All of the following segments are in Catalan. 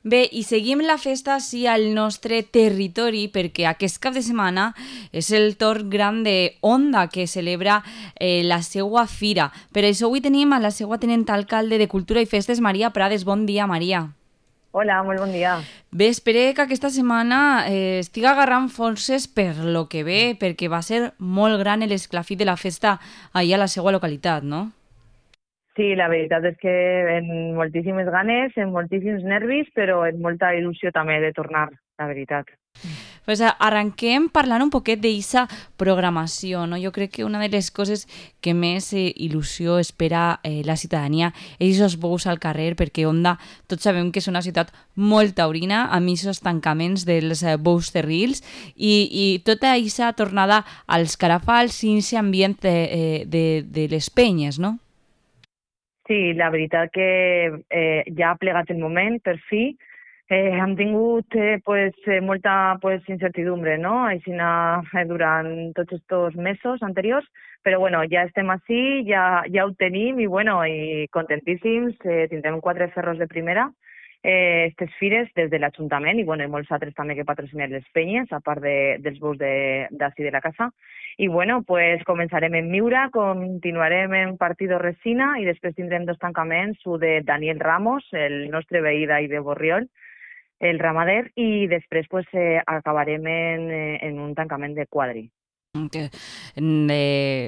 Bé, i seguim la festa sí al nostre territori perquè aquest cap de setmana és el torn gran de Onda que celebra la seua fira. Per això avui tenim a la seua tenent alcalde de Cultura i Festes, Maria Prades. Bon dia, Maria. Hola, molt bon dia. Bé, espero que aquesta setmana estiga agarrant forces per lo que ve, perquè va ser molt gran l'esclafit de la festa allà a la seva localitat, no? Sí, la veritat és que en moltíssimes ganes, en moltíssims nervis, però en molta il·lusió també de tornar, la veritat. Pues arranquem parlant un poquet d'eixa programació, no? Jo crec que una de les coses que més il·lusió espera la ciutadania és els bous al carrer, perquè Onda tots sabem que és una ciutat molt taurina, amb aquests tancaments dels bous terrils i tota eixa tornada als carafals i aquest ambient de les penyes, no? Sí, la veritat que ja ha plegat el moment, per fi. Hem tingut molta incertidumbre, no? Aixina, durant tots estos mesos anteriors, però bueno, ja estem ací, ja ho tenim i bueno, i contentíssims, tindrem 4 ferros de primera, estes fires des de l'Ajuntament i bueno, i molts altres també que patrocinen les penyes, a part dels bous d'ací de la casa. I bueno, pues començarem en Miura, continuarem en Partido Resina i després tindrem 2 tancaments, un de Daniel Ramos, el nostre veí d'ahí de Borriol, el ramader, i després pues, acabarem en un tancament de Quadri. Que no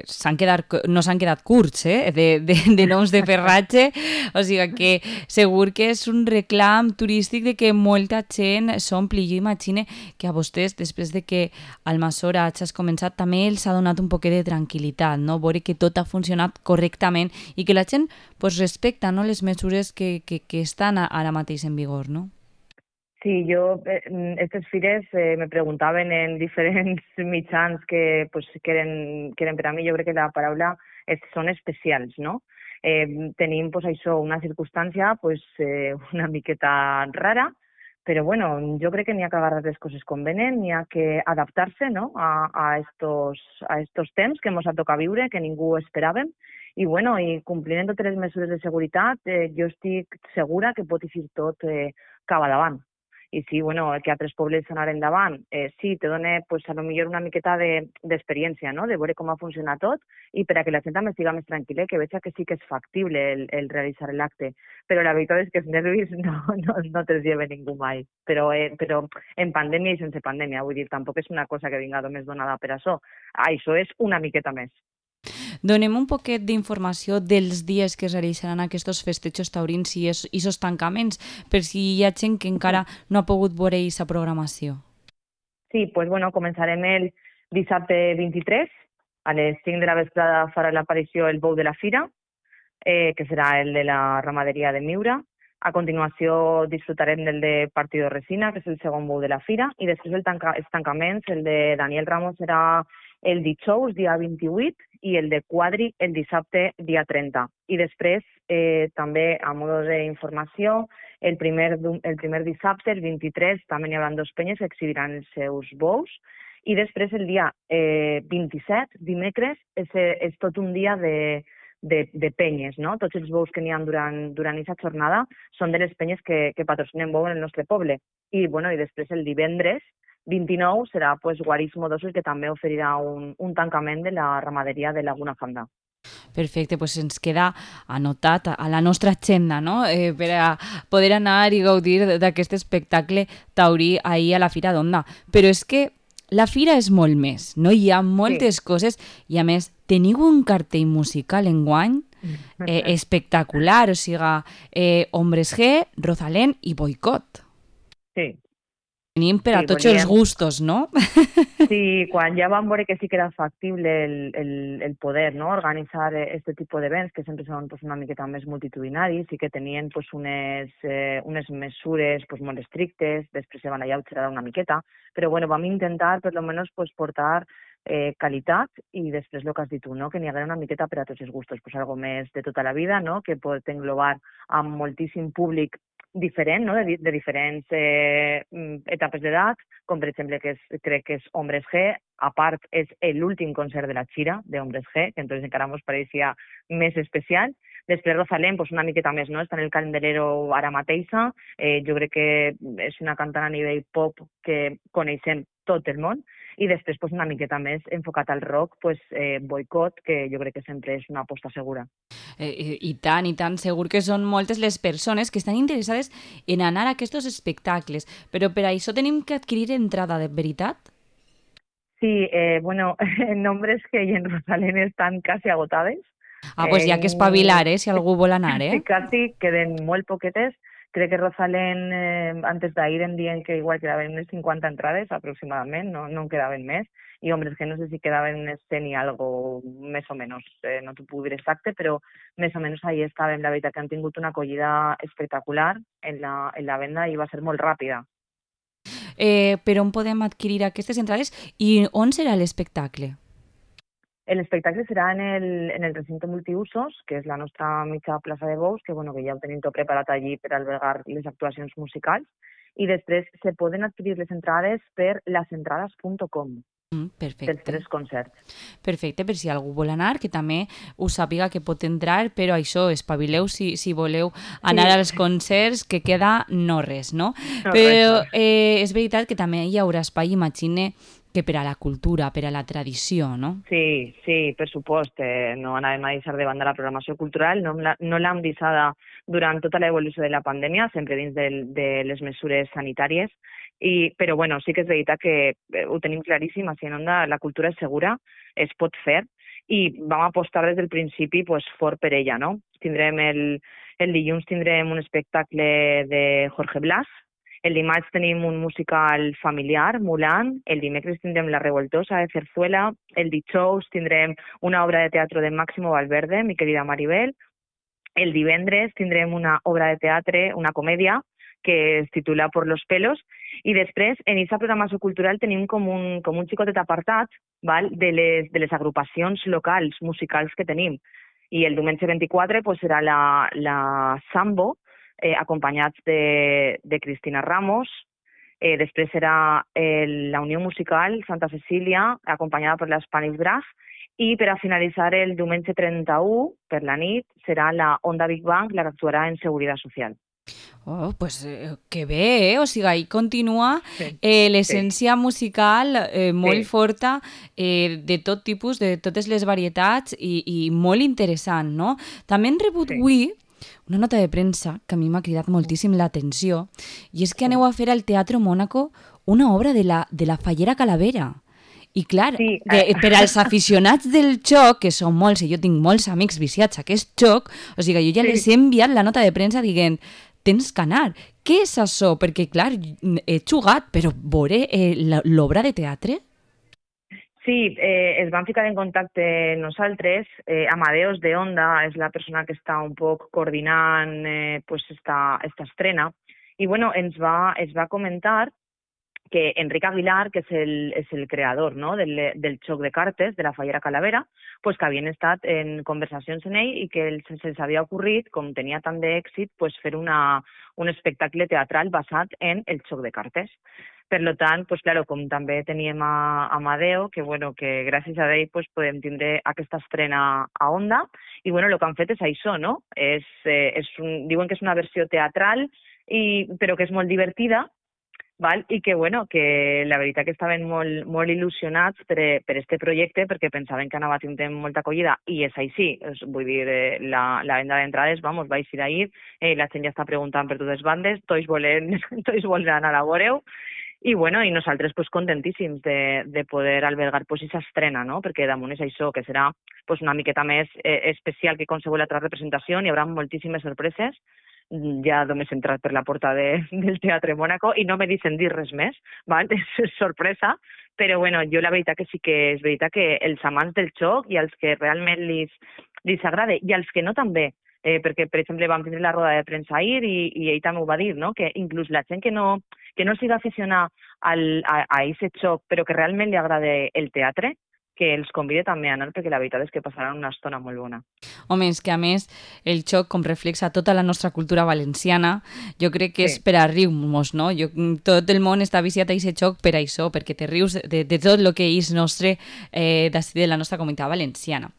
s'han quedat curts de noms de ferratge, o sigui que segur que és un reclam turístic de que molta gent s'ompli. Jo imagine que a vostès, després de que Almassora hagis començat, també els ha donat un poquet de tranquil·litat, no? Veure que tot ha funcionat correctament i que la gent pues, respecta, no, les mesures que estan ara mateix en vigor, no? Sí, estas fires me preguntaven en diferents mitjans que eren per a mi, jo crec que la paraula són especials, no? Tenim pues, això, una circumstància una miqueta rara, però bueno, jo crec que n'hi ha que agarrar les coses com venen, n'hi ha que adaptar-se, no? a estos temps que ens ha tocat viure, que ningú esperàvem, i bueno, i complint totes les mesures de seguretat, jo estic segura que pot eixir tot cap davant. I sí, bueno, que altres pobles anar endavant, sí, te dona pues, a lo millor una miqueta d'experiència, no? De veure com ha funcionat tot i per a que la gent també estigui més tranquil·la, que veig que sí que és factible el realitzar l'acte. Però la veritat és que els nervis no te'ls lleva ningú mai. Però en pandèmia i sense pandèmia, vull dir, tampoc és una cosa que vinga només donada per això. Això és una miqueta més. Donem un poquet d'informació dels dies que es realitzaran aquests festejos taurins i aquests tancaments, per si hi ha gent que encara no ha pogut veure aquesta programació. Sí, pues bueno, començarem el dissabte 23, a les 5 de la vesprada farà l'aparició el bou de la fira, que serà el de la ramaderia de Miura. A continuació disfrutarem del de Partido Resina, que és el segon bou de la fira, i després els tancaments, el de Daniel Ramos serà el dijous, dia 28, i el de Quadri el dissabte, dia 30. I després, també a modo d'informació, el primer dissabte, el 23, també n'hi haurà 2 penyes que exhibiran els seus bous, i després el dia 27, dimecres, és tot un dia de penyes, no? Tots els bous que n'hi ha durant aquesta jornada són de les penyes que patrocinen bou en el nostre poble. I, bueno, i després el divendres 29 serà pues, Guarismo Dosos, que també oferirà un tancament de la ramaderia de Laguna Fanda. Perfecte, doncs ens queda anotat a la nostra agenda, no? Per a poder anar i gaudir d'aquest espectacle taurí ahir a la Fira d'Onda. Però és que la fira és molt més, no? Hi ha Sí. moltes coses i, a més, teniu un cartell musical enguany espectacular, o sigui, Hombres G, Rosalén i Boicot. Sí, Tenim per a sí, tots els volíem. gustos, no? Sí, quan ja vam veure que sí que era factible el poder, no? Organitzar este tipus d'events, que sempre són pues, una miqueta més multitudinaris i que tenien pues, unes mesures pues, molt estrictes, després se van alleugerar una miqueta, però bueno, vam intentar per almenys pues, portar qualitat i després el que has dit tu, no? Que n'hi haguera una miqueta per a tots els gustos, pues, algo més de tota la vida, no? Que pot englobar amb moltíssim públic diferent, no? de diferents etapes d'edat, com per exemple crec que és Hombres G, a part és l'últim concert de la Xira de Hombres G, que entonces encara ens pareixia més especial, Després Rosalén, pues una miqueta més, no? Està en el candelero ara mateixa. Jo crec que és una cantant a nivell pop que coneixem tot el món. I després pues, una miqueta més enfocat al rock, pues, Boicot, que jo crec que sempre és una aposta segura. I tant, segur que són moltes les persones que estan interessades en anar a aquests espectacles, però per això tenim que adquirir entrada, de veritat? Sí, bueno, nombres que hi en Rosalén estan quasi agotades. Pues hi ha que espavilar, si algú vol anar, Casi queden molt poquetes. Crec que Rosalén, antes d'ahir em diuen que igual quedaven unes 50 entrades aproximadament, no en quedaven més. I, hombre, és que no sé si quedaven unes 100 i algo, més o menys, no t'ho puc dir exacte, però més o menys ahí estàvem. La veritat que han tingut una acollida espectacular en la venda i va ser molt ràpida. Per on podem adquirir aquestes entrades i on serà l'espectacle? L'espectacle serà en el recinte multiusos, que és la nostra mitja plaça de bous, que, bueno, que ja ho tenim tot preparat allí per albergar les actuacions musicals. I després se poden adquirir les entrades per lasentrades.com. Perfecte. Dels 3 concerts. Perfecte, per si algú vol anar, que també us sàpiga que pot entrar, però això, espavileu si voleu anar als concerts, que queda no res, no? Però és veritat que també hi haurà espai, imagine, que per a la cultura, per a la tradició, no? Sí, per supost. No anàvem a deixar de banda la programació cultural, no l'hem deixada durant tota l'evolució de la pandèmia, sempre dins de les mesures sanitàries, però bueno, sí que és veritat que ho tenim claríssim, així en Onda la cultura és segura, es pot fer, i vam apostar des del principi pues, fort per ella, no? Tindrem el dilluns tindrem un espectacle de Jorge Blas, el dimarts tenim un musical familiar, Mulan, el dimecres tindrem La Revoltosa de Cerzuela, el dijous tindrem una obra de teatre de Máximo Valverde, Mi querida Maribel, el divendres tindrem una obra de teatre, una comèdia, que es titula Por los pelos, i després en aquesta programació cultural tenim com un xicotet apartat, val, de les agrupacions locals musicals que tenim. I el diumenge 24 pues, serà la Sambo, acompanyats de Cristina Ramos. Després serà la Unió Musical Santa Cecília, acompanyada per l'Spanish Brass, i per a finalitzar el diumenge 31, per la nit, serà la Onda Big Bang, la que actuarà en Seguretat Social. Oh, pues que bé, o sigui, ahí continua l'essència musical molt forta, de tot tipus, de totes les varietats i molt interessant, no? També hem rebut avui una nota de premsa que a mi m'ha cridat moltíssim l'atenció, i és que aneu a fer al Teatro Mónaco una obra de la Fallera Calavera. I clar, per als aficionats del joc, que són molts, i jo tinc molts amics viciats a aquest joc, o sigui, jo ja les he enviat la nota de premsa dient tens que anar. Què és això? Perquè, clar, he jugat, però veure l'obra de teatre? Sí, es van ficar en contacte nosaltres. Amadeus de Onda és la persona que està un poc coordinant pues esta estrena. I bueno, ens va comentar que Enric Aguilar, que és el creador, no, del joc de cartes de la Fallera Calavera, pues que havien estat en conversacions amb ell i que se'ls havia ocorrit, com tenia tant d'èxit, pues fer un espectacle teatral basat en el joc de cartes. Per tant, pues, claro, com també teníem a Amadeo, que gràcies a ell pues, podem tindre aquesta estrena a Onda, i el que han fet és això, no? Diuen que és una versió teatral, però que és molt divertida, val? I que la veritat que estaven molt il·lusionats per este projecte, perquè pensaven que anava a tindre molta acollida, i és així. Vull dir, la venda d'entrades, va eixir ahir, la gent ja està preguntant per totes bandes, tots volen anar a veure-ho, i nosaltres pues, contentíssims de poder albergar pues, aquesta estrena, no? Perquè damunt és això, que serà pues, una miqueta més especial que qualsevol altra representació, hi haurà moltíssimes sorpreses. Ja només he entrat per la porta del Teatre Mónaco i no me deixen dir res més, val? És sorpresa, però jo la veritat que sí que és veritat que els amants del joc i els que realment li agrada, i els que no també, perquè per exemple vam tindre la roda de premsa ahir i ell també ho va dir, no? Que inclús la gent que no siga aficionada a aquest joc però que realment li agrada el teatre, que els convide també a anar, perquè la veritat és que passaran una estona molt bona. Home, és que a més el xoc com reflexa tota la nostra cultura valenciana, jo crec que és per a riure-nos, no? Tot el món està viciat a aquest xoc per això, perquè te rius de tot el que és nostre d'ací de la nostra comunitat valenciana.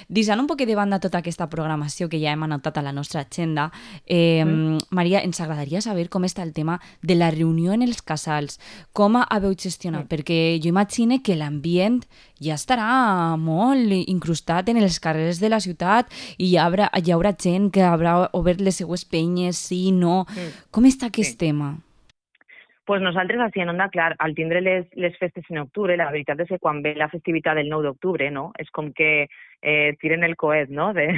Deixant un poc de banda tota aquesta programació que ja hem anotat a la nostra agenda, Maria, ens agradaria saber com està el tema de la reunió en els casals, com haveu gestionat, perquè jo imagine que l'ambient ja estarà molt incrustat en els carrers de la ciutat i hi haurà gent que haurà obert les seues penyes, sí, no. Com està aquest tema? Pues nosaltres així en Onda, clar, al tindre les festes en octubre, la veritat és que quan ve la festivitat del 9 d'octubre, no? És com que tiren el coet, no?, de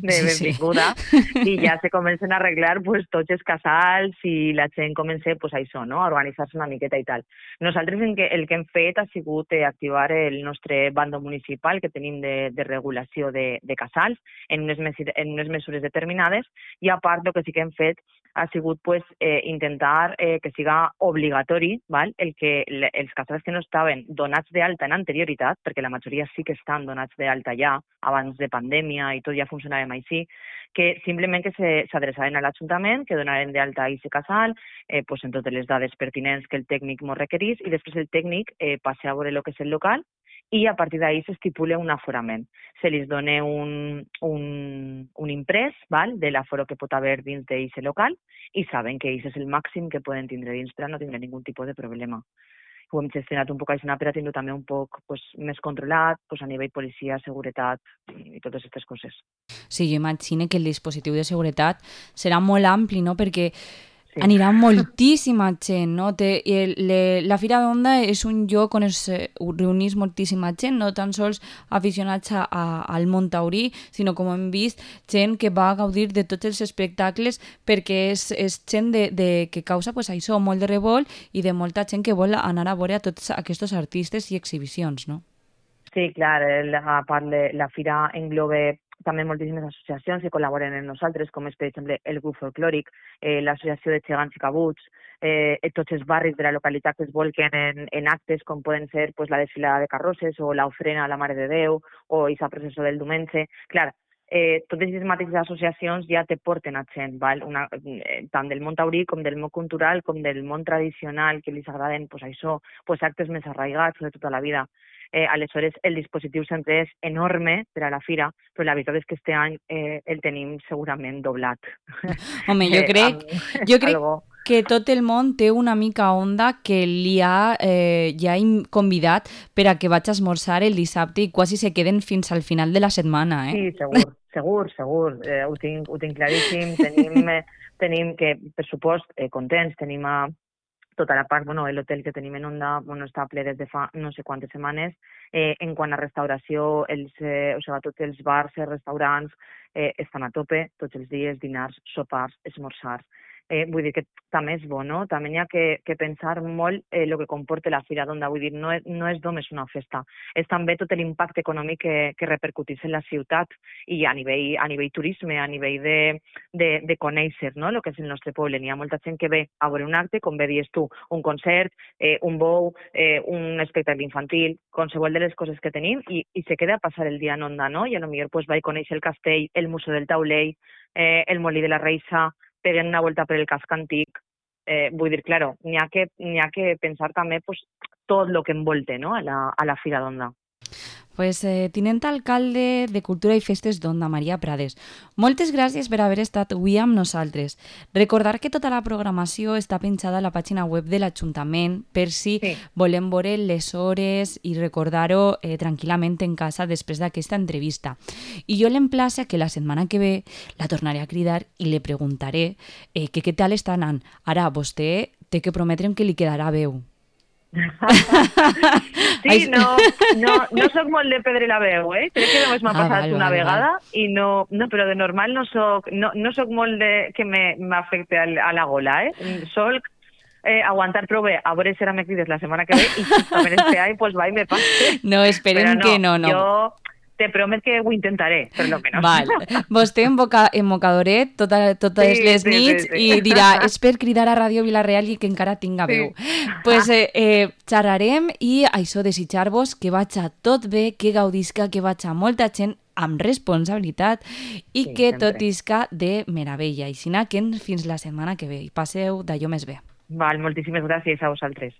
benvinguda, i ja se comencen a arreglar pues, tots els casals i la gent comença pues, això, no?, a organitzar-se una miqueta i tal. Nosaltres el que hem fet ha sigut activar el nostre bando municipal que tenim de regulació de casals en unes mesures determinades, i a part el que sí que hem fet ha sigut pues, intentar que siga obligatori els casals que no estaven donats d'alta en anterioritat, perquè la majoria sí que estan donats d'alta ja, abans de pandèmia i tot ja funcionàvem així, que simplement que s'adreçaven a l'Ajuntament, que donaren d'alta a aquest casal, pues, en totes les dades pertinents que el tècnic ens requerís, i després el tècnic passa a veure el que és el local, i a partir d'ahí s'estipula un aforament. Se li dona un imprès de l'aforo que pot haver dins d'aquest local i saben que aquest és el màxim que poden tindre dins per a no tindre ningun tipus de problema. Ho hem gestionat un poc així per a tenir-ho també un poc més controlat a nivell policia, seguretat i totes aquestes coses. Sí, jo imagino que el dispositiu de seguretat serà molt ampli, no?, perquè anirà moltíssima gent, no? La Fira d'Onda és un lloc on es reunís moltíssima gent, no tan sols aficionats al món taurí, sinó, com hem vist, gent que va gaudir de tots els espectacles, perquè és gent que causa pues, això, molt de revolt i de molta gent que vol anar a veure a tots aquests artistes i exhibicions, no? Sí, clar, a part la Fira engloba també moltíssimes associacions que col·laboren amb nosaltres, com és, per exemple, el grup folclòric, l'associació de gegants i cabuts, tots els barris de la localitat que es volquen en actes com poden ser pues, la desfilada de carrosses o l'ofrena a la Mare de Déu o aquesta processó del diumenge. Clar, totes les mateixes associacions ja te porten a gent, tant del món taurí com del món cultural com del món tradicional, que li agraden pues, això, pues, actes més arraigats de tota la vida. Aleshores, el dispositiu sempre és enorme per a la fira, però la veritat és que este any el tenim segurament doblat. Home, jo crec que tot el món té una mica Onda que li ha ja convidat per a que vaig a esmorzar el dissabte i quasi se queden fins al final de la setmana. Sí, segur. Ho tinc claríssim. Tenim que, per supost, contents, tenim tota la part, l'hotel que tenim en Onda està ple des de fa no sé quantes setmanes. En quant a restauració, tots els bars i restaurants estan a tope tots els dies, dinars, sopars, esmorzars. Vull dir que també és bo, no? També hi ha que pensar molt el que comporta la Fira d'Onda. Vull dir, no és només una festa, és també tot l'impacte econòmic que repercuteix en la ciutat i a nivell turisme, a nivell de conèixer, no?, el que és el nostre poble. Hi ha molta gent que ve a veure un acte, com bé dius tu, un concert, un bou, un espectacle infantil, qualsevol de les coses que tenim, i se queda a passar el dia en Onda, no? I potser pues, vaig conèixer el castell, el Museu del Taulell, el Molí de la Reixa, peguen una volta per el casc antic. Vull dir, claro, n'hi ha que pensar també pues, tot el que envolta, no?, a la Fira d'Onda. Pues, tinent alcalde de Cultura i Festes d'Onda, Maria Prades, moltes gràcies per haver estat avui amb nosaltres. Recordar que tota la programació està penjada a la pàgina web de l'Ajuntament per si volem veure les hores i recordar-ho tranquil·lament en casa després d'aquesta entrevista. I jo l'emplace que la setmana que ve la tornaré a cridar i li preguntaré que què tal està anant. Ara, vostè té que prometre'm que li quedarà veu. Sí, no soc molt de perdre la veu, crec que només m'ha passat una vegada i no, però de normal no soc molt de que m'afecte a la gola, soc aguantar prou bé, a veure si ara me crides la setmana que ve i justament este any pues va i me passe. No, esperem que no. te promet que ho intentaré, per lo menos. Val. Vostè en mocadoret totes Sí, les sí, nits sí, sí. i dirà, és per cridar a Ràdio Vila-real i que encara tinga veu. Pues xerrarem i això, desitjar-vos que vaig a tot bé, que gaudisca, que vaig a molta gent amb responsabilitat i Sí, que sempre. tot isca de meravella. I si que fins la setmana que ve. I passeu d'allò més bé. Val, moltíssimes gràcies a vosaltres.